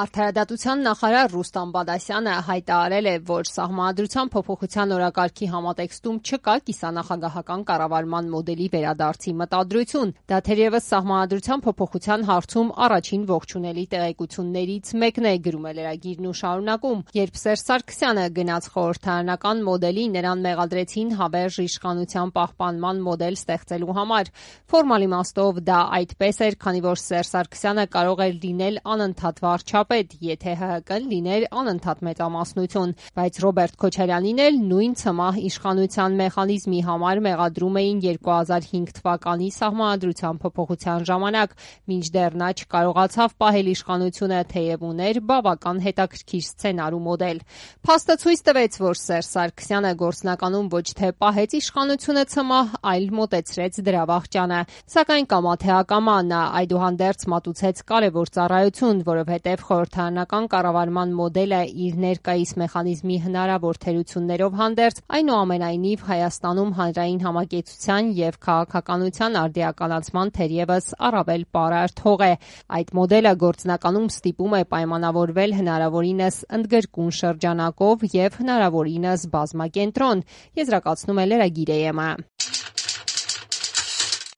Արդարադատության նախարար Ռուստամ Բադասյանը հայտարարել է, որ Սահմանադրության փոփոխության օրակարգի համատեքստում չկա կիսանախագահական կառավարման մոդելի վերադարձի մտադրություն։ Դա թերևս Սահմանադրության փոփոխության հարցում առաջին ողջունելի տեղեկություններից մեկն է, գրում է լրագիրն ու շարունակում. երբ Սերժ Սարգսյանը գնաց խորհրդարանական մոդելի, նրան մեղադրեցին հավերժ իշխանության պահպանման մոդել ստեղծելու համար։ Ֆորմալ իմաստով դա այդպես էր, քանի որ Սերժ Սարգսյանը կարող էր լինել անընդհատ վարչապետ, եթե ՀՀԿ-ն լիներ անընդհատ մեծամասնություն, բայց Ռոբերտ Քոչարյանին էլ նույն ցմահ իշխանության մեխանիզմի համար մեղադրում էին 2005 թվականի Սահմանադրության փոփոխության ժամանակ, մինչդեռ նա չկարողացավ պահել իշխանությունը, թեև ուներ բավական հետաքրքիր սցենար ու մոդել։ Փաստը ցույց տվեց, որ Սերժ Սարգսյանը գործնականում ոչ թե պահեց իշխանությունը ցմահ, այլ մոտեցրեց դրա վախճանը, սակայն կամա թե ակամա նա այդուհանդերձ մատուցեց կարևոր ծառայություն, որովհետև խորհրդարանական կառավարման մոդելը իր ներկայիս մեխանիզմի հնարավոր թերություններով հանդերձ, այնուամենայնիվ Հայաստանում հանրային համակեցության և քաղաքականության արդիականացման թերևս առավել պարարտ հող է։ Այդ մոդելը գործնականում ստիպում է պայմանավորվել հնարավորինս ընդգրկուն շրջանակով և հնարավորինս բազմակենտրոն, եզրակացնում է լրագիր-ը։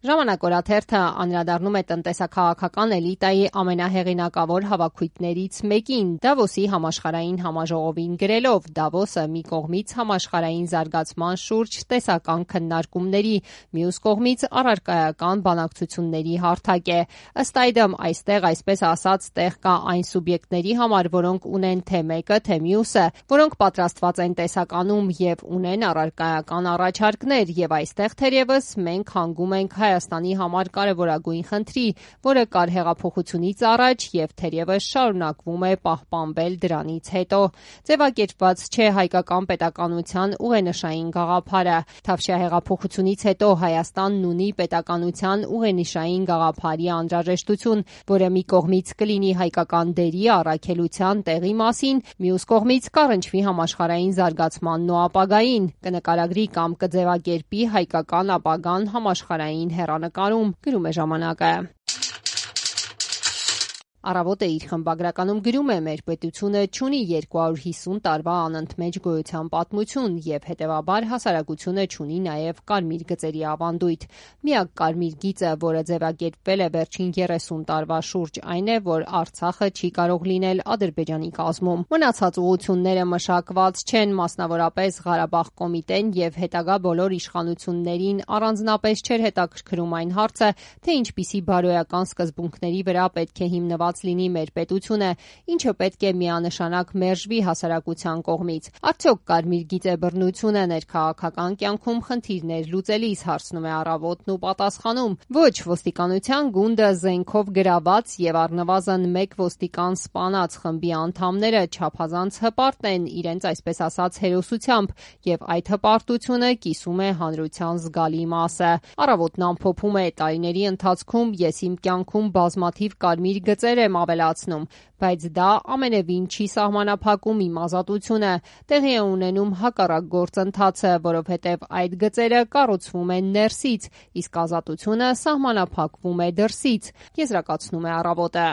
Ժամանակ օրաթերթը անդրադառնում է տնտեսաքաղաքական էլիտայի ամենահեղինակավոր հավաքույթներից մեկին՝ Դավոսի համաշխարհային համաժողովին գրելով. Դավոսը մի կողմից համաշխարհային զարգացման շուրջ տեսական քննարկումների, մյուս կողմից առարկայական բանակցությունների հարթակ է։ Ըստ այդմ, այստեղ այսպես ասած տեղ կա այն սուբյեկտների համար, որոնք ունեն թե մեկը, թե մյուսը, որոնք պատրաստված են տեսականում և ունեն առարկայական առաջարկներ, և այստեղ թերևս մենք հանգում ենք Հայաստանի համար կարևորագույն խնդրի, որը կար հեղափոխությունից առաջ և թերևս շարունակվում է պահպանվել դրանից հետո։ Ձևակերպված չէ հայկական պետականության ուղենշային գաղափարը։ Թավշյա հեղափոխությունից հետո Հայաստանն ունի պետականության ուղենիշային գաղափարի անհրաժեշտություն, որը մի կողմից կլինի հայկական դերի առաքելության տեղի մասին, մյուս կողմից կառնչվի համաշխարհային զարգացմանն ու ապագային, կնկարագրի կամ կձևակերպի հայկական ապագան համաշխարհային հեռանկարում, գրում է ժամանակը։ Առավոտը իր խմբագրականում գրում է. մեր պետությունը չունի 250 տարվա անընդմեջ գոյության պատմություն և հետևաբար հասարակությունը չունի նաև կարմիր գծերի ավանդույթ։ Միակ կարմիր գիծը, որը ձևակերպվել է վերջին 30 տարվա շուրջ, այն է, որ Արցախը չի կարող լինել Ադրբեջանի կազմում։ Մնացած ուղղությունները մշակված չեն, մասնավորապես Ղարաբաղ կոմիտեն և հետագա բոլոր իշխանություններին առանձնապես չէր հետաքրքրում այն հարցը, թե ինչպիսի բարոյական սկզբունքների վրա պետք է հիմնված լինի մեր պետությունը, ինչը պետք է միանշանակ մերժվի հասարակության կողմից։ Արդյոք կարմիր գիծե բռնությունը ներքաղաքական կյանքում խնդիրներ լուծելիս, հարցնում է Առավոտն ու պատասխանում. ոչ, ոստիկանության գունդը զենքով գրաված և առնվազն մեկ ոստիկան սպանած խմբի անդամները չափազանց հպարտ են իրենց այսպես ասած հերոսությամբ, և այդ հպարտությունը կիսում է հանրության զգալի մասը։ Առավոտն ամփոփում է. տարիների ընթացքում ես իմ կյանքում բազմաթիվ կարմիր գծեր եմ ավելացնում, բայց դա ամենևին չի սահմանափակում իմ ազատությունը։ Տեղի է ունենում հակառակ գործընթացը, որովհետև այդ գծերը կառուցվում են ներսից, իսկ ազատությունը սահմանափակվում է դրսից, եզրակացնում է Առավոտը։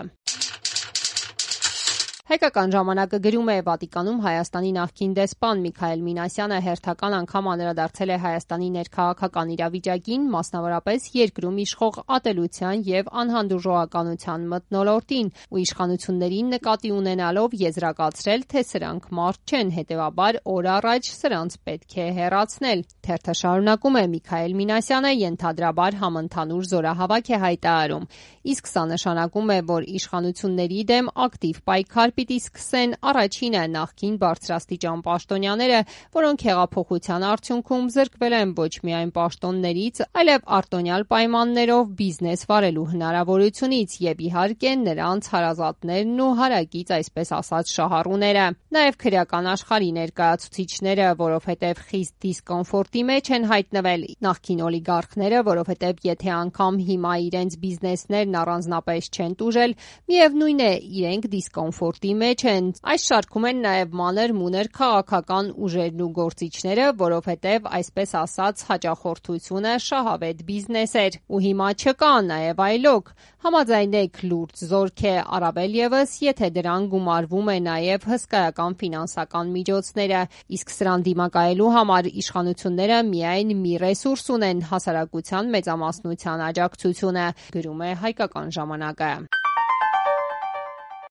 Հայկական ժամանակը գրում է. Վատիկանում Հայաստանի նախկին դեսպան Միքայել Մինասյանը հերթական անգամ անդրադարձել է Հայաստանի ներքաղաքական իրավիճակին, մասնավորապես երկրում իշխող ատելության և անհանդուրժողականության մթնոլորտին ու իշխանություններին նկատի ունենալով եզրակացրել, թե սրանք մարդ չեն, հետևաբար օր առաջ սրանց պետք է հեռացնել։ Թերթը շարունակում է. Միքայել Մինասյանը ենթադրաբար համընդհանուր զորահավաք է հայտարարում, իսկ սա նշանակում է, որ իշխանությունների դեմ ակտիվ պայքար պիտի սկսեն առաջինը նախկին բարձրաստիճան պաշտոնյաները, որոնք հեղափոխության արդյունքում զրկվել են ոչ միայն պաշտոններից, այլև արտոնյալ պայմաններով բիզնես վարելու հնարավորությունից և իհարկե նրանց հարազատներն ու հարակից այսպես ասած շահառուները։ Նաև քրեական աշխարհի ներկայացուցիչները, որովհետև խիստ դիսկոմֆորտի մեջ են հայտնվել, նախկին օլիգարխները, որովհետև եթե անգամ հիմա իրենց բիզնեսներն առանձնապես չեն տուժել, միևնույն է իրենք դիսկոմֆորտի դատի մեջ են։ Այս շարքում են նաև մանր-մուներ քաղաքական ուժերն ու գործիչները, որովհետև այսպես ասած հաճախորդությունը շահավետ բիզնես էր, ու հիմա չկա նաև այլոք։ Համաձայնեք, լուրջ զորք է, առավել ևս, եթե դրան գումարվում է նաև հսկայական ֆինանսական միջոցները, իսկ սրան դիմակայելու համար իշխանությունները միայն մի ռեսուրս ունեն՝ հասարակության մեծամասնության աջակցությունը, գրում է «Հայկական ժամանակը»։